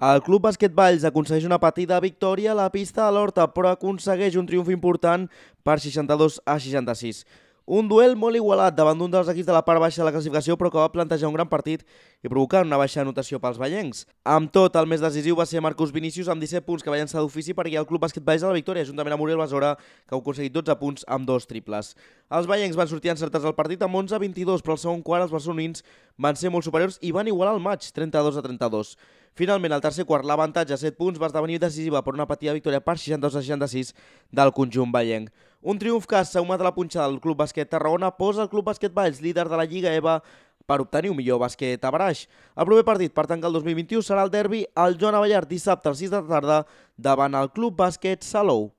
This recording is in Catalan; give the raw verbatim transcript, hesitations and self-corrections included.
El Club Bàsquet Valls aconsegueix una petita victòria a la pista de l'Horta, però aconsegueix un triomf important per seixanta-dos a seixanta-sis. Un duel molt igualat davant d'un dels equips de la part baixa de la classificació, però que va plantejar un gran partit i provocar una baixa anotació pels vallencs. Amb tot, el més decisiu va ser Marcus Vinícius amb disset punts, que va llançar d'ofici per guiar el Club Bàsquet Valls a la victòria, juntament amb Uriel Besora, que ha aconseguit dotze punts amb dos triples. Els vallencs van sortir encertats al partit amb onze a vint-i-dos, però al segon quart els barcelonins van ser molt superiors i van igualar el maig, trenta-dos a trenta-dos. Finalment, al tercer quart, l'avantatge a set punts va esdevenir decisiva per una petita victòria per seixanta-dos a seixanta-sis del conjunt vallenc. Un triomf que, sumat a la punxada del Club Bàsquet Tarragona, posa el Club Bàsquet Valls líder de la Lliga E V A per obtenir un millor bàsquet a baraix. El proper partit per tancar el dos mil vint-i-u serà el derbi al Joan Abellard dissabte a les sis de la tarda davant el Club Bàsquet Salou.